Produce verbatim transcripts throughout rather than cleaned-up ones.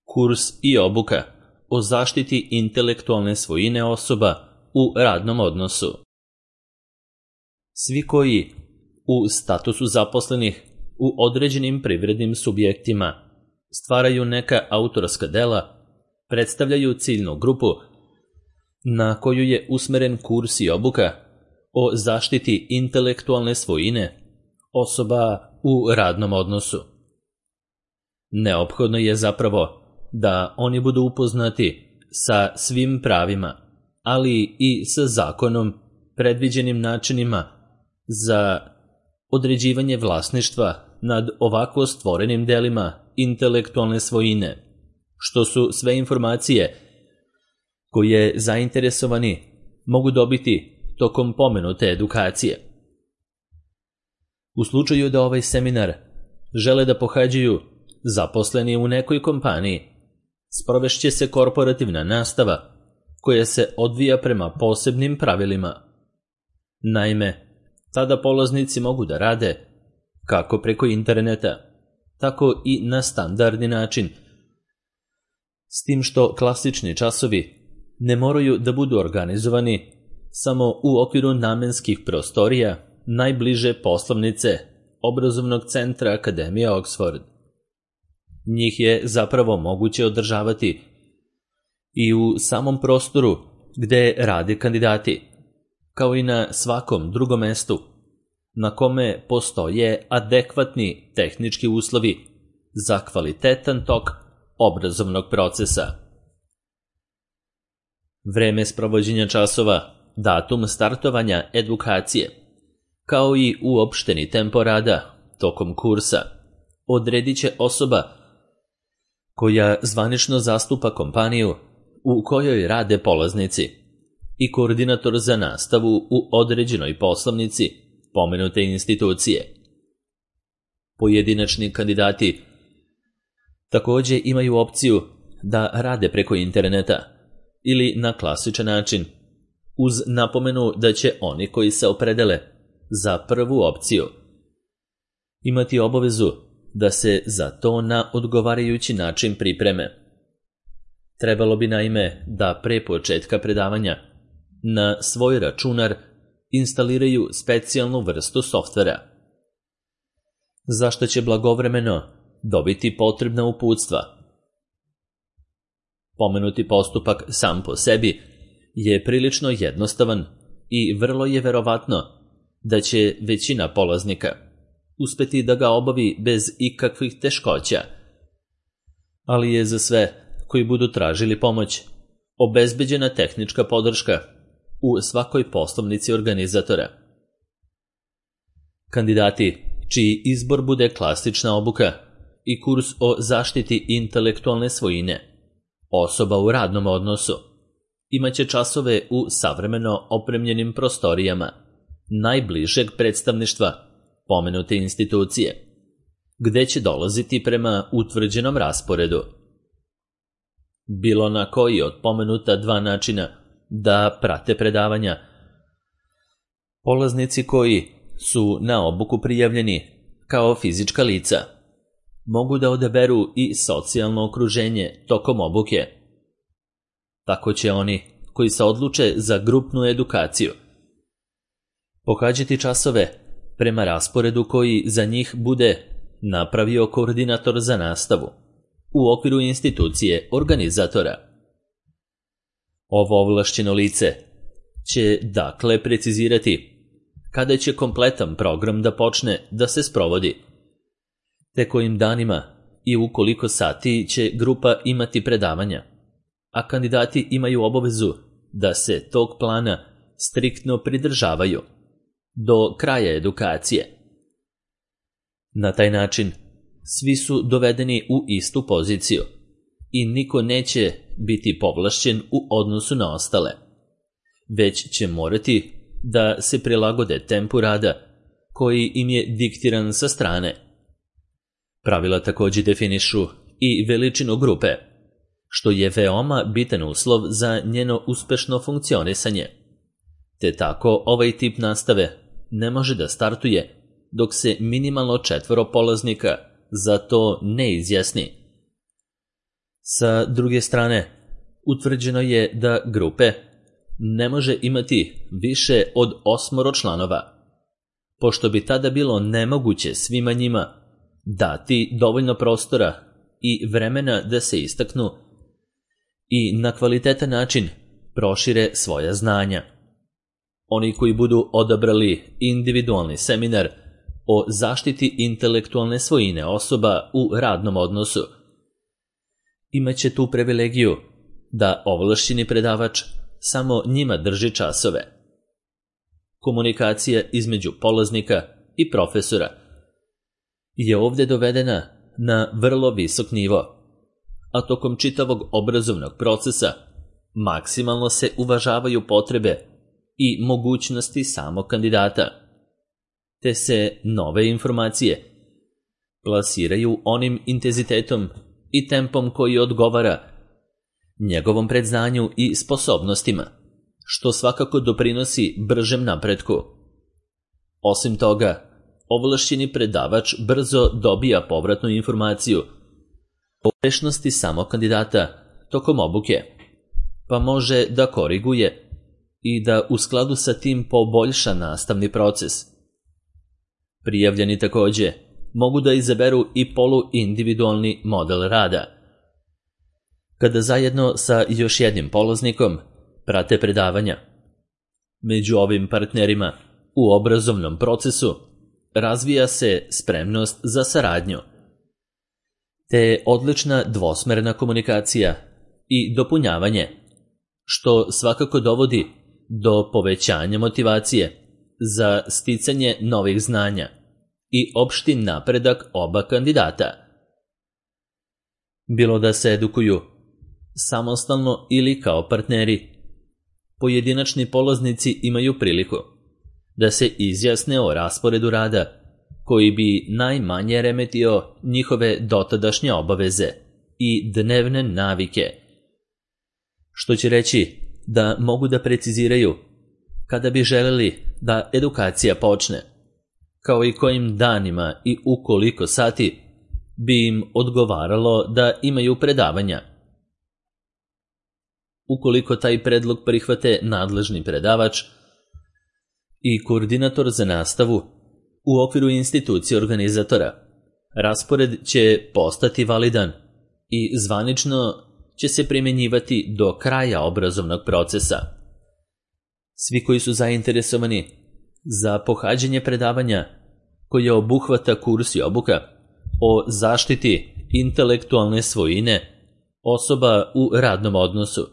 Kurs i obuka o zaštiti intelektualne svojine osoba u radnom odnosu. Svi koji u statusu zaposlenih u određenim privrednim subjektima stvaraju neka autorska dela, predstavljaju ciljnu grupu na koju je usmeren kurs i obuka o zaštiti intelektualne svojine osoba u radnom odnosu. Neophodno je zapravo da oni budu upoznati sa svim pravima, ali i sa zakonom predviđenim načinima za određivanje vlasništva nad ovako stvorenim delima intelektualne svojine, što su sve informacije koje zainteresovani mogu dobiti tokom pomenute edukacije. U slučaju da ovaj seminar žele da pohađaju zaposleni u nekoj kompaniji, sprovešće se korporativna nastava koja se odvija prema posebnim pravilima. Naime, tada polaznici mogu da rade kako preko interneta, tako i na standardni način, s tim što klasični časovi ne moraju da budu organizovani samo u okviru namenskih prostorija najbliže poslovnice obrazovnog centra Akademije Oxford. Njih je zapravo moguće održavati i u samom prostoru gde rade kandidati, kao i na svakom drugom mestu na kome postoje adekvatni tehnički uslovi za kvalitetan tok obrazovnog procesa. Vreme sprovođenja časova, datum startovanja edukacije, kao i uopšteni tempo rada tokom kursa odredit će osoba koja zvanično zastupa kompaniju u kojoj rade polaznici i koordinator za nastavu u određenoj poslovnici pomenute institucije. Pojedinačni kandidati takođe imaju opciju da rade preko interneta ili na klasičan način, uz napomenu da će oni koji se opredele za prvu opciju imati obavezu da se za to na odgovarajući način pripreme. Trebalo bi naime da pre početka predavanja na svoj računar instaliraju specijalnu vrstu softvera, za što će blagovremeno dobiti potrebna uputstva. Pomenuti postupak sam po sebi je prilično jednostavan i vrlo je verovatno da će većina polaznika uspeti da ga obavi bez ikakvih teškoća, ali je za sve koji budu tražili pomoć obezbeđena tehnička podrška u svakoj poslovnici organizatora. Kandidati čiji izbor bude klasična obuka i kurs o zaštiti intelektualne svojine osoba u radnom odnosu imaće časove u savremeno opremljenim prostorijama najbližeg predstavništva pomenute institucije, gde će dolaziti prema utvrđenom rasporedu. Bilo na koji od pomenuta dva načina da prate predavanja, polaznici koji su na obuku prijavljeni kao fizička lica mogu da odaberu i socijalno okruženje tokom obuke. Tako će oni koji se odluče za grupnu edukaciju pohađati časove prema rasporedu koji za njih bude napravio koordinator za nastavu u okviru institucije organizatora. Ovo ovlašćeno lice će dakle precizirati kada će kompletan program da počne da se sprovodi, te kojim danima i u koliko sati će grupa imati predavanja, a kandidati imaju obavezu da se tog plana striktno pridržavaju do kraja edukacije. Na taj način svi su dovedeni u istu poziciju i niko neće biti povlašćen u odnosu na ostale, već će morati da se prilagode tempu rada koji im je diktiran sa strane. Pravila takođe definišu i veličinu grupe, što je veoma bitan uslov za njeno uspešno funkcionisanje, te tako ovaj tip nastave ne može da startuje dok se minimalno četvoro polaznika za to ne izjasni. Sa druge strane, utvrđeno je da grupe ne može imati više od osmoro članova, pošto bi tada bilo nemoguće svima njima dati dovoljno prostora i vremena da se istaknu i na kvalitetan način prošire svoja znanja. Oni koji budu odabrali individualni seminar o zaštiti intelektualne svojine osoba u radnom odnosu imaće tu privilegiju da ovlašćeni predavač samo njima drži časove. Komunikacija između polaznika i profesora je ovdje dovedena na vrlo visok nivo, a tokom čitavog obrazovnog procesa maksimalno se uvažavaju potrebe i mogućnosti samog kandidata, te se nove informacije plasiraju onim intenzitetom i tempom koji odgovara njegovom predznanju i sposobnostima, što svakako doprinosi bržem napretku. Osim toga, ovlašćeni predavač brzo dobija povratnu informaciju o uspešnosti samog kandidata tokom obuke, pa može da koriguje i da u skladu sa tim poboljša nastavni proces. Prijavljeni takođe mogu da izaberu i poluindividualni model rada, kada zajedno sa još jednim polaznikom prate predavanja. Među ovim partnerima u obrazovnom procesu razvija se spremnost za saradnju, te odlična dvosmerna komunikacija i dopunjavanje, što svakako dovodi do povećanja motivacije za sticanje novih znanja i opšti napredak oba kandidata. Bilo da se edukuju samostalno ili kao partneri, pojedinačni polaznici imaju priliku da se izjasne o rasporedu rada koji bi najmanje remetio njihove dotadašnje obaveze i dnevne navike, što će reći da mogu da preciziraju kada bi želeli da edukacija počne, kao i kojim danima i u koliko sati bi im odgovaralo da imaju predavanja. Ukoliko taj predlog prihvate nadležni predavač i koordinator za nastavu u okviru institucije organizatora, raspored će postati validan i zvanično će se primjenjivati do kraja obrazovnog procesa. Svi koji su zainteresovani za pohađanje predavanja koje obuhvata kurs i obuka o zaštiti intelektualne svojine osoba u radnom odnosu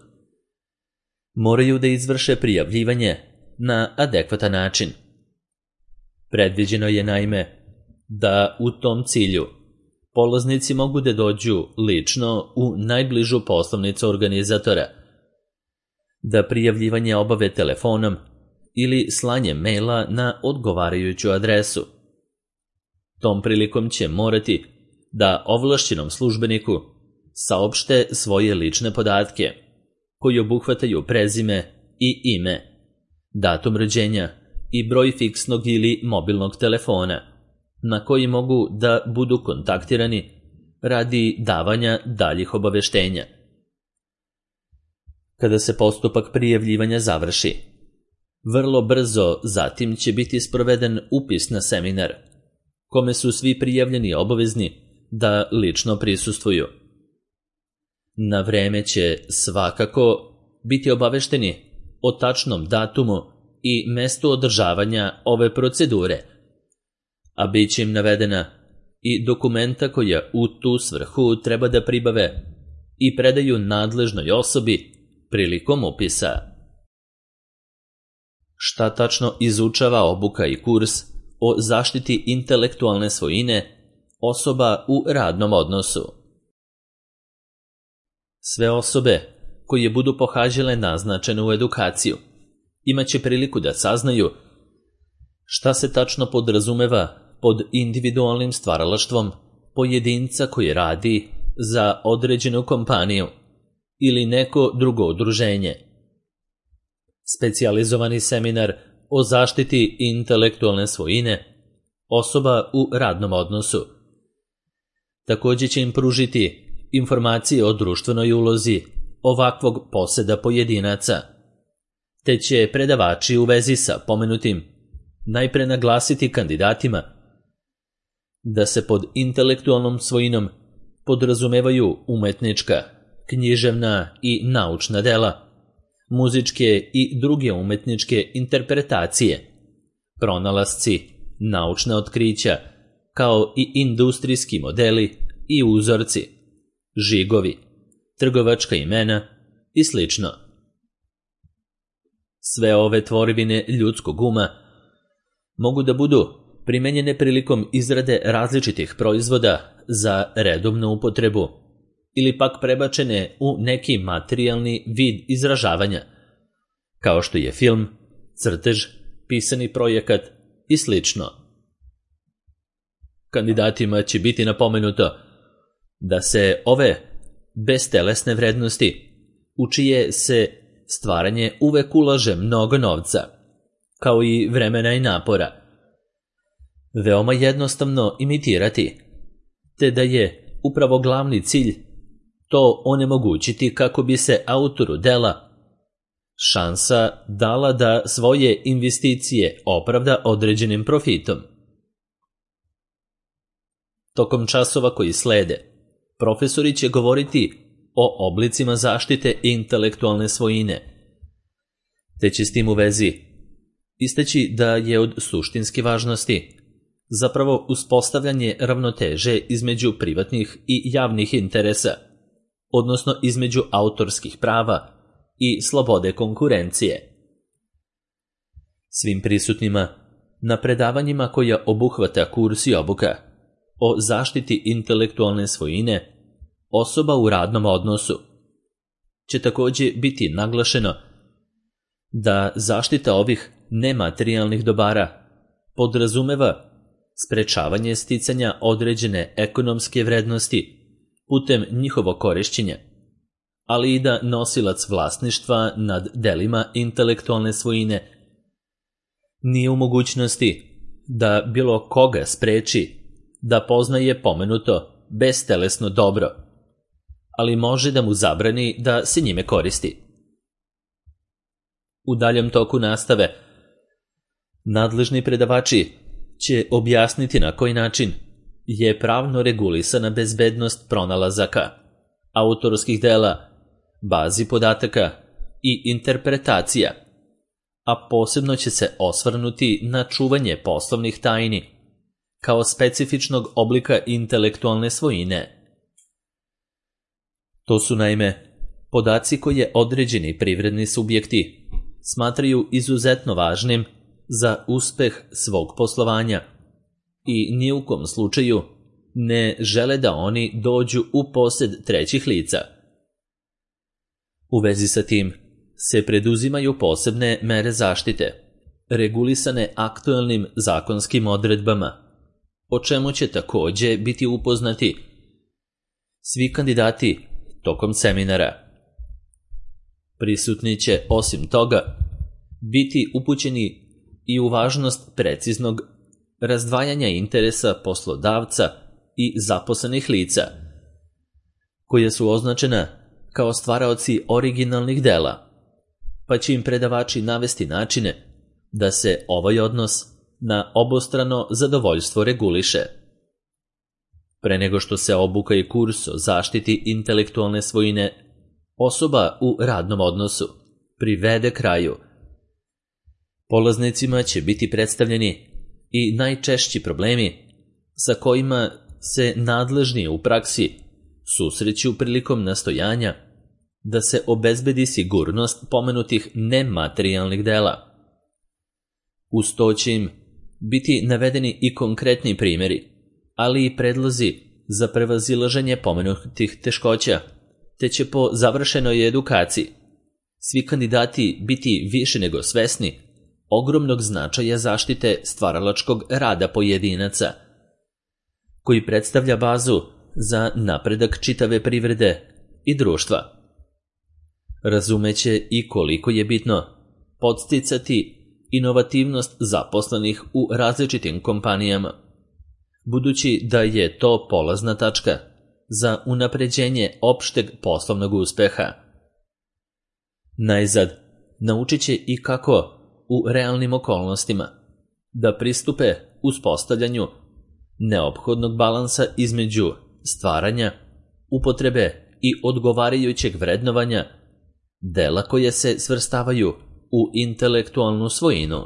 moraju da izvrše prijavljivanje na adekvatan način. Predviđeno je naime da u tom cilju polaznici mogu da dođu lično u najbližu poslovnicu organizatora, da prijavljivanje obave telefonom ili slanjem maila na odgovarajuću adresu. Tom prilikom će morati da ovlašćenom službeniku saopšte svoje lične podatke, koji obuhvataju prezime i ime, datum rođenja i broj fiksnog ili mobilnog telefona, na koji mogu da budu kontaktirani radi davanja daljih obaveštenja. Kada se postupak prijavljivanja završi, vrlo brzo zatim će biti sproveden upis na seminar, kome su svi prijavljeni obavezni da lično prisustvuju. Na vreme će svakako biti obavešteni o tačnom datumu i mestu održavanja ove procedure, a bit će im navedena i dokumenta koja u tu svrhu treba da pribave i predaju nadležnoj osobi prilikom upisa. Šta tačno izučava obuka i kurs o zaštiti intelektualne svojine osoba u radnom odnosu? Sve osobe koje budu pohađale naznačenu edukaciju imaće priliku da saznaju šta se tačno podrazumeva pod individualnim stvaralaštvom pojedinca koji radi za određenu kompaniju ili neko drugo udruženje. Specijalizovani seminar o zaštiti intelektualne svojine osoba u radnom odnosu također će im pružiti informacije o društvenoj ulozi ovakvog poseda pojedinaca, te će predavači u vezi sa pomenutim najpre naglasiti kandidatima da se pod intelektualnom svojinom podrazumevaju umetnička, književna i naučna dela, muzičke i druge umetničke interpretacije, pronalasci, naučna otkrića, kao i industrijski modeli i uzorci, žigovi, trgovačka imena i slično. Sve ove tvorevine ljudskog uma mogu da budu primenjene prilikom izrade različitih proizvoda za redovnu upotrebu ili pak prebačene u neki materijalni vid izražavanja, kao što je film, crtež, pisani projekat i slično. Kandidatima će biti napomenuto da se ove bestelesne vrednosti, u čije se stvaranje uvek ulaže mnogo novca, kao i vremena i napora, veoma jednostavno imitirati, te da je upravo glavni cilj to onemogućiti kako bi se autoru dela šansa dala da svoje investicije opravda određenim profitom. Tokom časova koji slede, profesori će govoriti o oblicima zaštite intelektualne svojine, te će s tim u vezi istaći da je od suštinske važnosti zapravo uspostavljanje ravnoteže između privatnih i javnih interesa, odnosno između autorskih prava i slobode konkurencije. Svim prisutnima na predavanjima koja obuhvata kurs i obuka o zaštiti intelektualne svojine osoba u radnom odnosu će također biti naglašeno da zaštita ovih nematerijalnih dobara podrazumeva sprečavanje sticanja određene ekonomske vrednosti putem njihovog korišćenja, ali i da nosilac vlasništva nad delima intelektualne svojine nije u mogućnosti da bilo koga spreči da poznaje pomenuto bestelesno dobro, ali može da mu zabrani da se njime koristi. U daljem toku nastave nadležni predavači će objasniti na koji način je pravno regulisana bezbednost pronalazaka, autorskih dela, bazi podataka i interpretacija, a posebno će se osvrnuti na čuvanje poslovnih tajni kao specifičnog oblika intelektualne svojine. To su naime podaci koje određeni privredni subjekti smatraju izuzetno važnim za uspeh svog poslovanja i ni u kom slučaju ne žele da oni dođu u posed trećih lica. U vezi sa tim se preduzimaju posebne mere zaštite, regulisane aktuelnim zakonskim odredbama, o čemu će također biti upoznati svi kandidati tokom seminara. Prisutni će osim toga biti upućeni i u važnost preciznog razdvajanja interesa poslodavca i zaposlenih lica, koje su označena kao stvaraoci originalnih dela, pa će im predavači navesti načine da se ovaj odnos na obostrano zadovoljstvo reguliše. Pre nego što se obuka i kurs o zaštiti intelektualne svojine osoba u radnom odnosu privede kraju, polaznicima će biti predstavljeni i najčešći problemi sa kojima se nadležni u praksi susreću prilikom nastojanja da se obezbedi sigurnost pomenutih nematerijalnih dela. Uz to će im biti navedeni i konkretni primjeri, ali i predlozi za prevazilaženje pomenutih teškoća, te će po završenoj edukaciji svi kandidati biti više nego svesni ogromnog značaja zaštite stvaralačkog rada pojedinaca, koji predstavlja bazu za napredak čitave privrede i društva. Razumeće i koliko je bitno podsticati inovativnost zaposlenih u različitim kompanijama, budući da je to polazna tačka za unapređenje opšteg poslovnog uspeha. Najzad, naučit će i kako u realnim okolnostima da pristupe uspostavljanju neophodnog balansa između stvaranja, upotrebe i odgovarajućeg vrednovanja dela koje se svrstavaju u intelektualnu svojinu.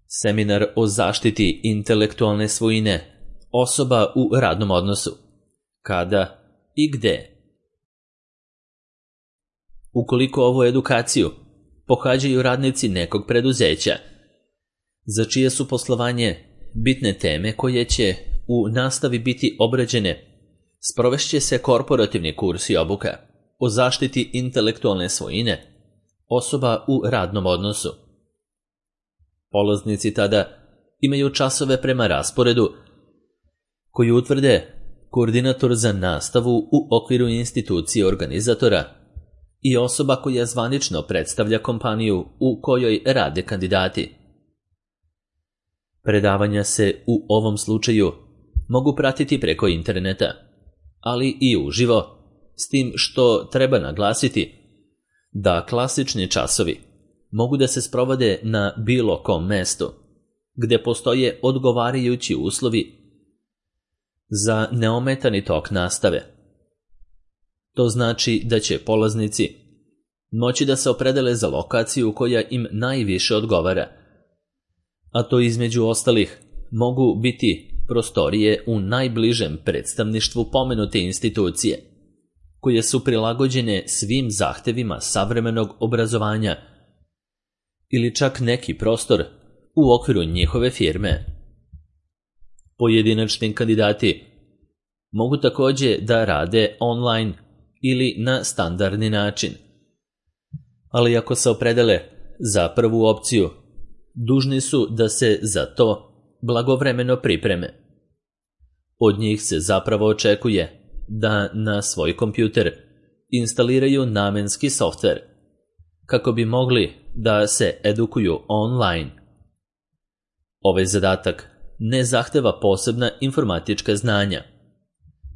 Seminar o zaštiti intelektualne svojine osoba u radnom odnosu. Kada i gde? Ukoliko ovu edukaciju pohađaju radnici nekog preduzeća, za čije su poslovanje bitne teme koje će u nastavi biti obrađene, sprovešće se korporativni kurs i obuka o zaštiti intelektualne svojine osoba u radnom odnosu. Polaznici tada imaju časove prema rasporedu koji utvrde koordinator za nastavu u okviru institucije organizatora i osoba koja zvanično predstavlja kompaniju u kojoj rade kandidati. Predavanja se u ovom slučaju mogu pratiti preko interneta, ali i uživo, s tim što treba naglasiti da klasični časovi mogu da se sprovode na bilo kom mestu, gde postoje odgovarajući uslovi za neometani tok nastave. To znači da će polaznici moći da se opredele za lokaciju koja im najviše odgovara, a to između ostalih mogu biti prostorije u najbližem predstavništvu pomenute institucije, koje su prilagođene svim zahtevima savremenog obrazovanja, ili čak neki prostor u okviru njihove firme. Pojedinačni kandidati mogu takođe da rade online ili na standardni način, ali ako se opredele za prvu opciju, dužni su da se za to blagovremeno pripreme. Od njih se zapravo očekuje da na svoj kompjuter instaliraju namenski softver, kako bi mogli da se edukuju online. Ovaj zadatak ne zahteva posebna informatička znanja,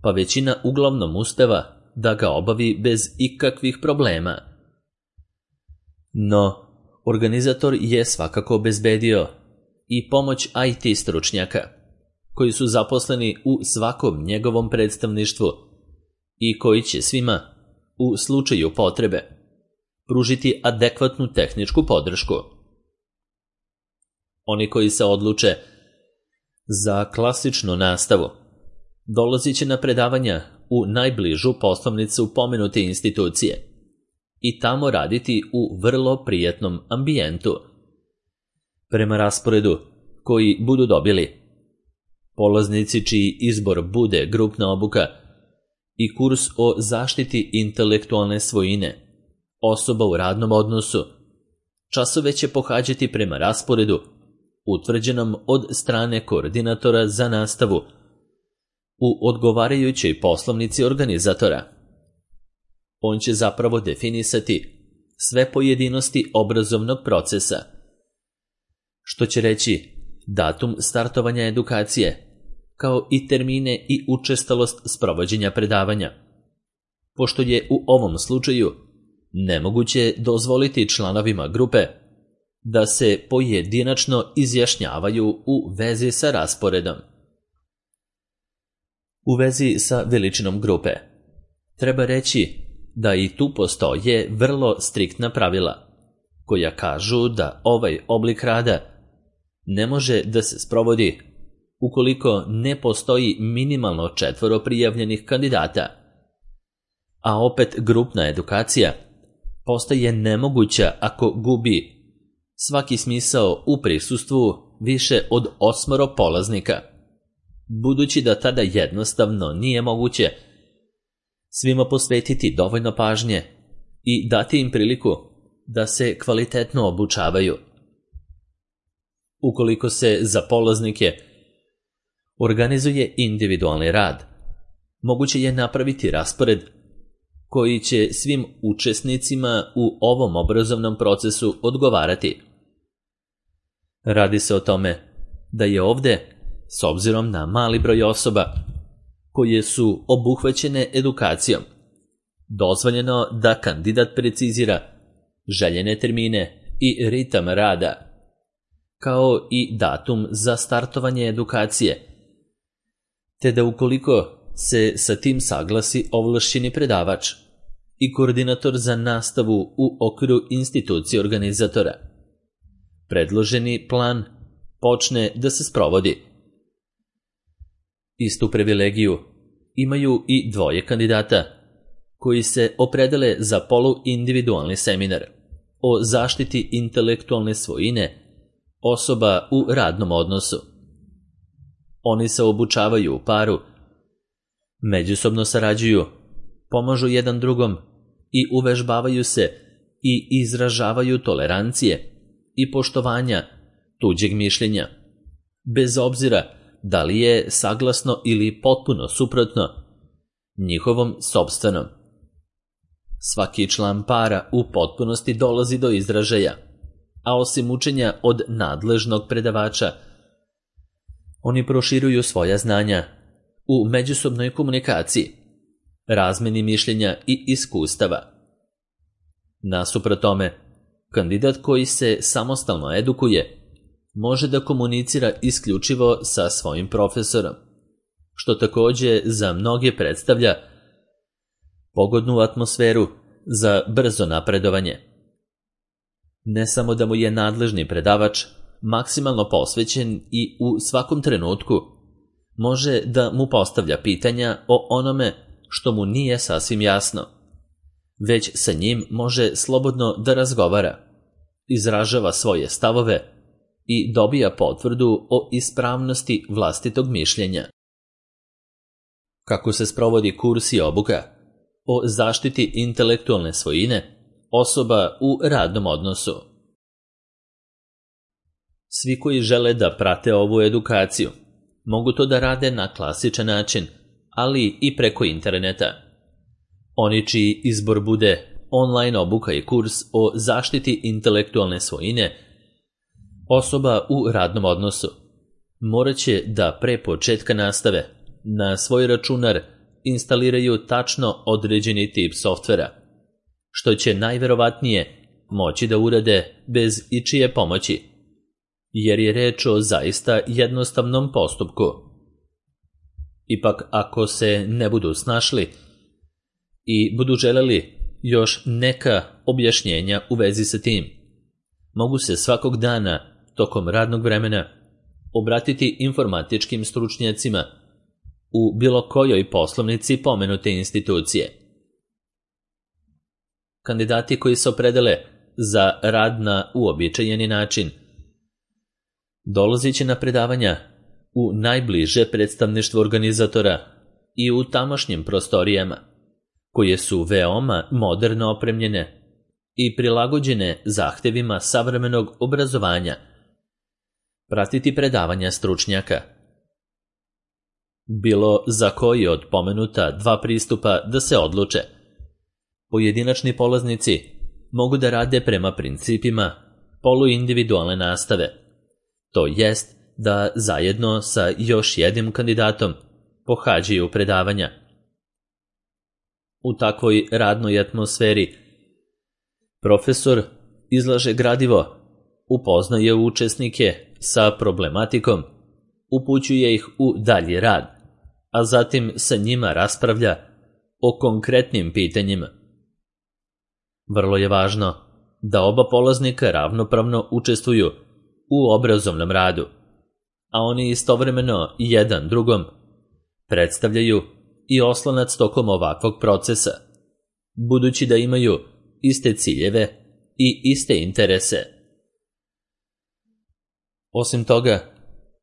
pa većina uglavnom uspeva da ga obavi bez ikakvih problema. No, organizator je svakako obezbedio i pomoć I T stručnjaka, koji su zaposleni u svakom njegovom predstavništvu i koji će svima, u slučaju potrebe, pružiti adekvatnu tehničku podršku. Oni koji se odluče za klasičnu nastavu dolazit će na predavanja u najbližu poslovnicu pomenute institucije i tamo raditi u vrlo prijatnom ambijentu. Prema rasporedu koji budu dobili, polaznici čiji izbor bude grupna obuka i kurs o zaštiti intelektualne svojine osoba u radnom odnosu, časove će pohađati prema rasporedu utvrđenom od strane koordinatora za nastavu u odgovarajućoj poslovnici organizatora. On će zapravo definisati sve pojedinosti obrazovnog procesa, što će reći datum startovanja edukacije, kao i termine i učestalost sprovođenja predavanja, pošto je u ovom slučaju nemoguće dozvoliti članovima grupe da se pojedinačno izjašnjavaju u vezi sa rasporedom. U vezi sa veličinom grupe treba reći da i tu postoje vrlo striktna pravila, koja kažu da ovaj oblik rada ne može da se sprovodi ukoliko ne postoji minimalno četvoro prijavljenih kandidata, a opet grupna edukacija postaje nemoguća ako gubi svaki smisao u prisustvu više od osmoro polaznika, budući da tada jednostavno nije moguće svima posvetiti dovoljno pažnje i dati im priliku da se kvalitetno obučavaju. Ukoliko se za polaznike organizuje individualni rad, moguće je napraviti raspored koji će svim učesnicima u ovom obrazovnom procesu odgovarati. Radi se o tome da je ovde, s obzirom na mali broj osoba koje su obuhvaćene edukacijom, dozvoljeno da kandidat precizira željene termine i ritam rada, kao i datum za startovanje edukacije, te da ukoliko se sa tim saglasi ovlašćeni predavač i koordinator za nastavu u okviru institucije organizatora, predloženi plan počne da se sprovodi. Istu privilegiju imaju i dvoje kandidata koji se opredele za poluindividualni seminar o zaštiti intelektualne svojine osoba u radnom odnosu. Oni se obučavaju u paru, međusobno sarađuju, pomažu jedan drugom i uvežbavaju se i izražavaju tolerancije i poštovanja tuđeg mišljenja, bez obzira da li je saglasno ili potpuno suprotno njihovom sopstvenom. Svaki član para u potpunosti dolazi do izražaja, a osim učenja od nadležnog predavača, oni proširuju svoja znanja u međusobnoj komunikaciji, razmeni mišljenja i iskustava. Nasuprot tome, kandidat koji se samostalno edukuje može da komunicira isključivo sa svojim profesorom, što takođe za mnoge predstavlja pogodnu atmosferu za brzo napredovanje. Ne samo da mu je nadležni predavač maksimalno posvećen i u svakom trenutku može da mu postavlja pitanja o onome što mu nije sasvim jasno, već sa njim može slobodno da razgovara, izražava svoje stavove i dobija potvrdu o ispravnosti vlastitog mišljenja. Kako se sprovodi kurs i obuka o zaštiti intelektualne svojine osoba u radnom odnosu? Svi koji žele da prate ovu edukaciju mogu to da rade na klasičan način, ali i preko interneta. Oni čiji izbor bude online obuka i kurs o zaštiti intelektualne svojine osoba u radnom odnosu morat će da pre početka nastave na svoj računar instaliraju tačno određeni tip softvera, što će najverovatnije moći da urade bez ičije pomoći, jer je reč o zaista jednostavnom postupku. Ipak, ako se ne budu snašli i budu želeli još neka objašnjenja u vezi sa tim, mogu se svakog dana tokom radnog vremena obratiti informatičkim stručnjacima u bilo kojoj poslovnici pomenute institucije. Kandidati koji se opredele za rad na uobičajeni način dolazit će na predavanja u najbliže predstavništvo organizatora i u tamošnjim prostorijama, koje su veoma moderno opremljene i prilagođene zahtevima savremenog obrazovanja, pratiti predavanja stručnjaka. Bilo za koji od pomenuta dva pristupa da se odluče, pojedinačni polaznici mogu da rade prema principima poluindividualne nastave, to jest da zajedno sa još jednim kandidatom pohađaju predavanja. U takvoj radnoj atmosferi profesor izlaže gradivo, upoznaje učesnike sa problematikom, upućuje ih u dalji rad, a zatim sa njima raspravlja o konkretnim pitanjima. Vrlo je važno da oba polaznika ravnopravno učestvuju u obrazovnom radu, a oni istovremeno jedan drugom predstavljaju i oslonac tokom ovakvog procesa, budući da imaju iste ciljeve i iste interese. Osim toga,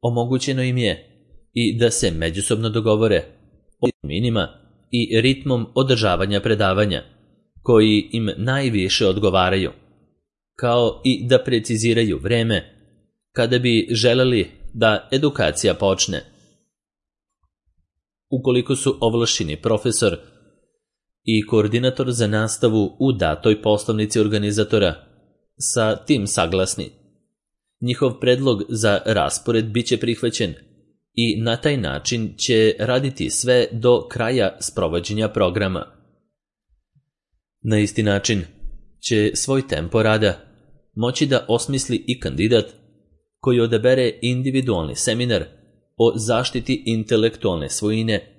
omogućeno im je i da se međusobno dogovore o terminima i ritmom održavanja predavanja, koji im najviše odgovaraju, kao i da preciziraju vreme kada bi želeli da edukacija počne. Ukoliko su ovlašćeni profesor i koordinator za nastavu u datoj poslovnici organizatora sa tim saglasni, njihov predlog za raspored biće prihvaćen i na taj način će raditi sve do kraja sprovođenja programa. Na isti način će svoj tempo rada moći da osmisli i kandidat koji odabere individualni seminar o zaštiti intelektualne svojine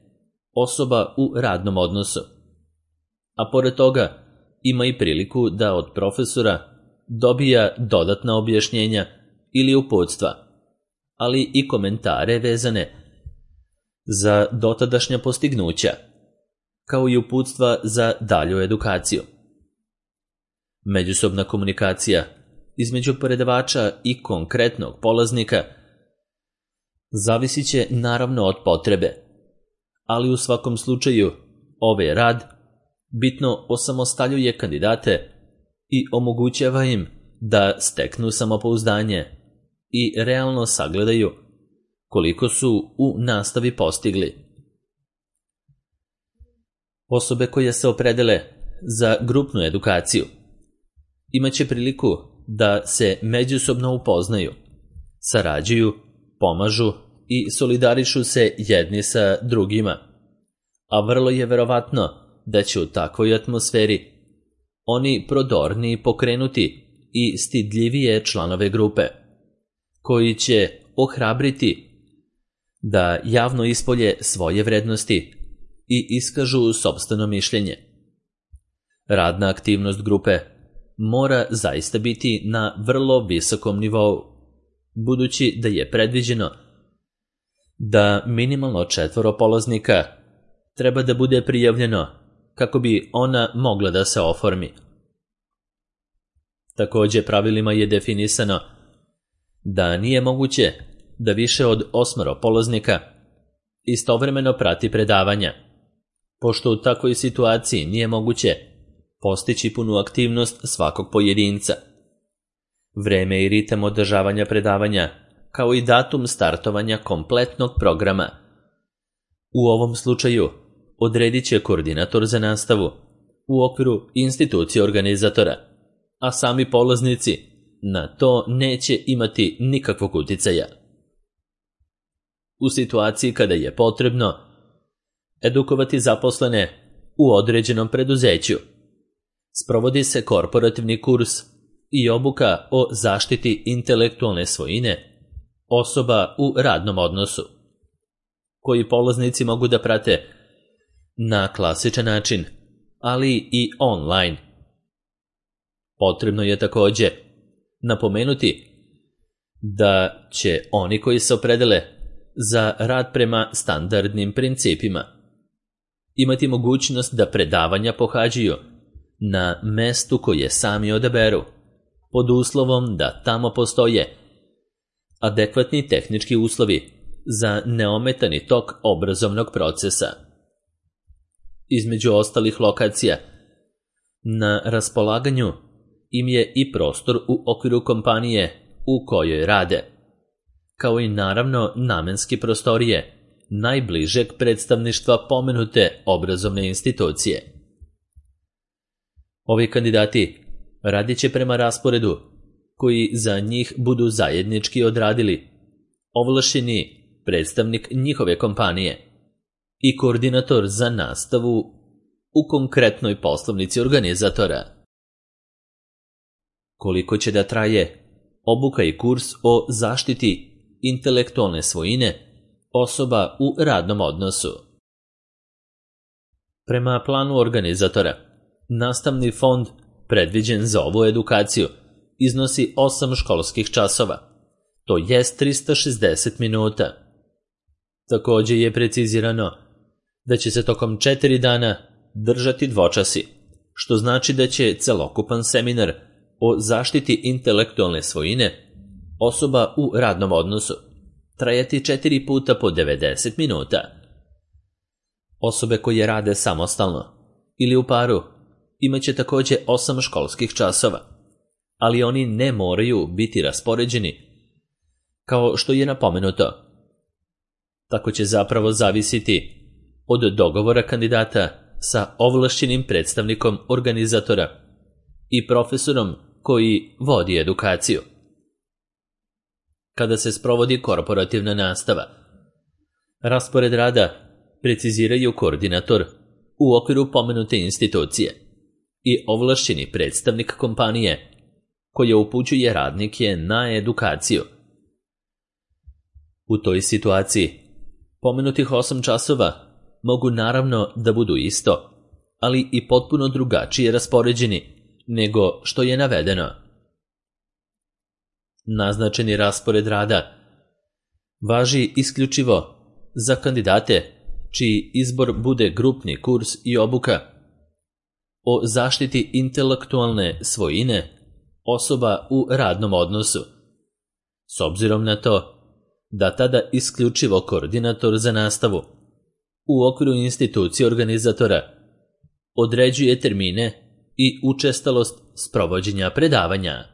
osoba u radnom odnosu. A pored toga ima i priliku da od profesora dobija dodatna objašnjenja ili uputstva, ali i komentare vezane za dotadašnja postignuća, kao i uputstva za dalju edukaciju. Međusobna komunikacija između predavača i konkretnog polaznika zavisit će naravno od potrebe, ali u svakom slučaju ovaj rad bitno osamostaljuje kandidate i omogućava im da steknu samopouzdanje i realno sagledaju koliko su u nastavi postigli. Osobe koje se opredele za grupnu edukaciju imaće priliku da se međusobno upoznaju, sarađuju, pomažu i solidarišu se jedni sa drugima, a vrlo je verovatno da će u takvoj atmosferi oni prodorniji pokrenuti i stidljivije članove grupe, koji će ohrabriti da javno ispolje svoje vrednosti i iskažu sopstveno mišljenje. Radna aktivnost grupe mora zaista biti na vrlo visokom nivou, budući da je predviđeno da minimalno četvoro polaznika treba da bude prijavljeno kako bi ona mogla da se oformi. Također pravilima je definisano da nije moguće da više od osmoro polaznika istovremeno prati predavanja, pošto u takvoj situaciji nije moguće postići punu aktivnost svakog pojedinca. Vreme i ritam održavanja predavanja, kao i datum startovanja kompletnog programa, u ovom slučaju odredit će koordinator za nastavu u okviru institucije organizatora, a sami polaznici na to neće imati nikakvog uticaja. U situaciji kada je potrebno edukovati zaposlene u određenom preduzeću, sprovodi se korporativni kurs i obuka o zaštiti intelektualne svojine osoba u radnom odnosu, koji polaznici mogu da prate na klasičan način, ali i online. Potrebno je također napomenuti da će oni koji se opredele za rad prema standardnim principima imati mogućnost da predavanja pohađaju na mestu koje sami odaberu, pod uslovom da tamo postoje adekvatni tehnički uslovi za neometani tok obrazovnog procesa. Između ostalih lokacija, na raspolaganju im je i prostor u okviru kompanije u kojoj rade, kao i naravno namenski prostorije najbližeg predstavništva pomenute obrazovne institucije. Ovi kandidati radit će prema rasporedu koji za njih budu zajednički odradili ovlašćeni predstavnik njihove kompanije i koordinator za nastavu u konkretnoj poslovnici organizatora. Koliko će da traje obuka i kurs o zaštiti intelektualne svojine osoba u radnom odnosu? Prema planu organizatora, nastavni fond predviđen za ovu edukaciju iznosi osam školskih časova, to jest trista šezdeset minuta. Također je precizirano da će se tokom četiri dana držati dvočasi, što znači da će celokupan seminar o zaštiti intelektualne svojine osoba u radnom odnosu trajati četiri puta po devedeset minuta. Osobe koje rade samostalno ili u paru imaće također osam školskih časova, ali oni ne moraju biti raspoređeni kao što je napomenuto. Tako će zapravo zavisiti od dogovora kandidata sa ovlašćenim predstavnikom organizatora i profesorom koji vodi edukaciju. Kada se sprovodi korporativna nastava, Raspored rada preciziraju koordinator u okviru pomenute institucije i ovlašćeni predstavnik kompanije koja upućuje radnike na edukaciju. U toj situaciji pomenutih osam časova mogu naravno da budu isto, ali i potpuno drugačije raspoređeni nego što je navedeno. Naznačeni raspored rada važi isključivo za kandidate čiji izbor bude grupni kurs i obuka o zaštiti intelektualne svojine osoba u radnom odnosu, s obzirom na to da tada isključivo koordinator za nastavu u okviru institucije organizatora određuje termine i učestalost sprovođenja predavanja.